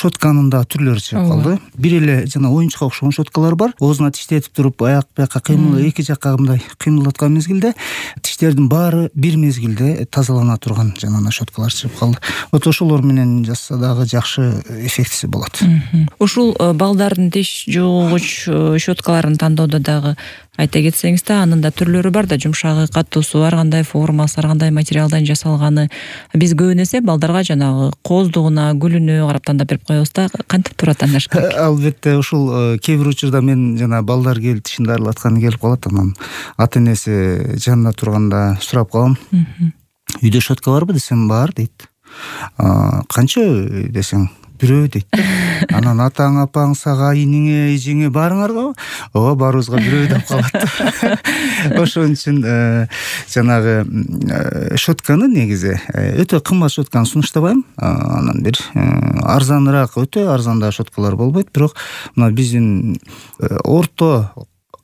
щотканын да түрлөрү чыгып калды. Бир эле жана оюнчукка окшогон щоткалар бар. Оозуна тиштетип туруп аяк бияка эки жакка мындай кыймылдаткан мезгилде тиштердин баары бир мезгилде тазалана турган жанагы щоткалар чыгып калды. Вот ошолор менен жасаса дагы жакшы эффектиси болот. Ушул балдардын тиш жуугуч щоткаларын тандоодо дагы айта кетсеңиз да, анын да түрлөрү бар да, жумшагы, катуусу, ар кандай формасы, ар кандай материалдан жасалганы. Биз көбүн эсе балдарга жанагы кооздугуна, гүлүнө карап тандап берип коебуз да, кантип туура тандаш керек? Албетте, ушул кээ бир учурда мен жана балдар келип тишин дарылатканы келип калат, анан ата энеси жанында турганда сурап калам. Үйдө щотка барбы десем, бар дейт. Канча десең, бирөө дейт. Анан атаң, апаң, сага, иниңе, эжеңе баарыңарга? Ооба, баарыбызга бирөө деп калат. Ошон үчүн жанагы щотканы негизи өтө кымбат щотканы сунуштабайм. Анан бир арзаныраак, өтө арзан да щоткалар болбойт, бирок мына биздин орто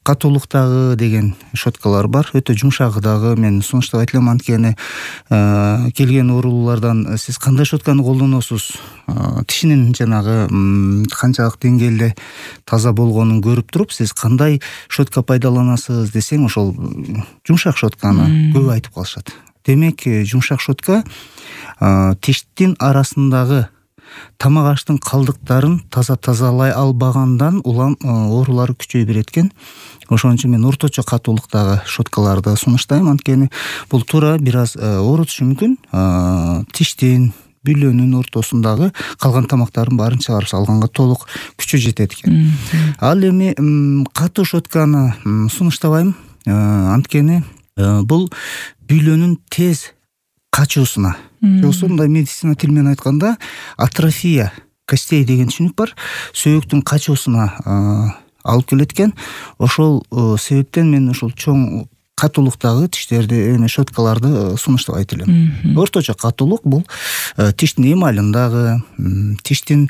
катуулуктагы деген щоткалар бар. Өтө жумшагы дагы мен сунуштап айтылам, анткени келген оорулуулардан сиз кандай щотканы колдоносуз, тишинин жанагы канчалык деңгээлде таза болгонун көрүп туруп, сиз кандай щотка пайдаланасыз десең, ошол жумшак щотканы көп айтып калышат. Демек, жумшак щотка тиштин арасындагы тамак аштын калдыктарын тазалай албагандан улам оорулар күчөй берет экен. Ошон үчүн мен орточо катуулуктагы щоткаларды сунуштайм, анткени бул туура бир аз оорутушу мүмкүн. Тиштин, бүлөнүн ортосундагы калган тамактардын баарын чыгарып салганга толук күчү жетет экен. Ал эми катуу щотканы сунуштабайм, анткени бул бүлөнүн тез качуусуна, жоксо мындай медицина тили менен айтканда атрофия костей деген түшүнүк бар. Сөөктүн качуусуна алып келет экен. Ошол себептен мен ушул чоң катуулуктагы тиштерди, щоткаларды сунуштабайт элем. Орточо катуулук бул тиштин эмалындагы, тиштин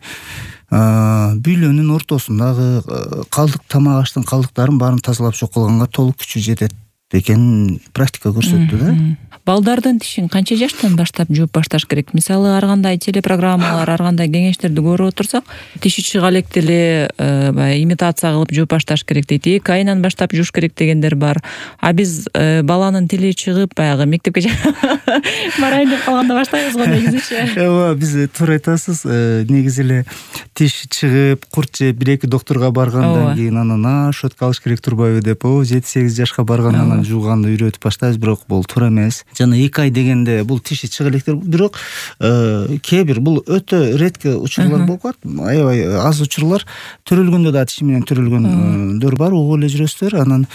бүлөнүн ортосундагы калдык тамак аштын калдыктарын баарын тазалап жок кылганга толук күчү жетет экен практика көрсөттү да. Балдардын тишин канча жаштан баштап жууп башташ керек? Мисалы, ар кандай телепрограммалар, ар кандай кеңештерди көрүп отурсак, тиши чыга электе эле имитация кылып жууп башташ керек дейт. 2 айынан баштап жууш керек дегендер бар. А биз баланын тили чыгып, баягы мектепке барайын деп калганда баштайбыз го негизичи. Ооба, биз туура айтасыз. Негизи эле тиш чыгып, курт жеп, 1-2 доктурга баргандан кийин анан щотка алыш керек турбайбы деп, 7-8 жашка баргандан жууганды үйрөтүп баштайбыз, бирок бул туура эмес. Жана 2 ай дегенде бул тиши чыга электер, бирок кээ бир бул өтө ретки учурлар болуп калат. Аябай аз учурлар, төрөлгөндө да тиши менен төрөлгөндөр бар, угуп эле жүрөсүздөр. Анан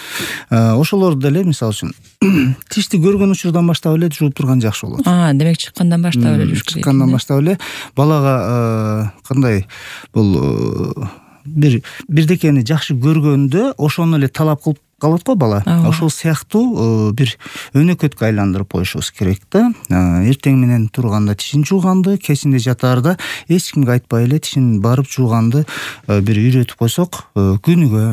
ошолорду деле мисалы үчүн тишти көргөн учурдан баштап эле жууп турган жакшы болот. Демек чыккандан баштап эле жууш керек. Чыккандан баштап эле балага кандай бул бирдекени жакшы көргөндө ошону эле талап кылып калат го бала. Ошол сыяктуу бир өнөкөткө айландырып коюшубуз керек да. Эртең менен турганда тишин жууганды, кечинде жатаарда эч кимге айтпай эле тишин барып жууганды бир үйрөтүп койсок, күнүгө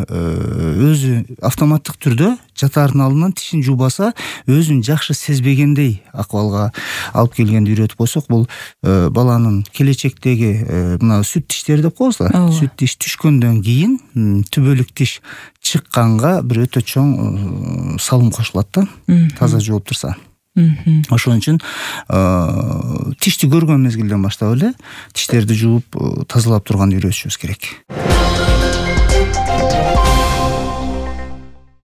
өзү автоматтык түрдө жатаардын алдынан тишин жуубаса, өзүн жакшы сезбегендей акыбалга алып келгенди үйрөтүп койсок, бул баланын келечектеги мына сүт тиштери деп коебуз да. Сүт тиш түшкөндөн кийин түбөлүк тиш чыкканга бир өтө чоң салым кошулат да, таза жууп турса. Ошон үчүн тишти көргөн мезгилден баштап эле тиштерди жууп тазалап турганды үйрөтүшүбүз керек.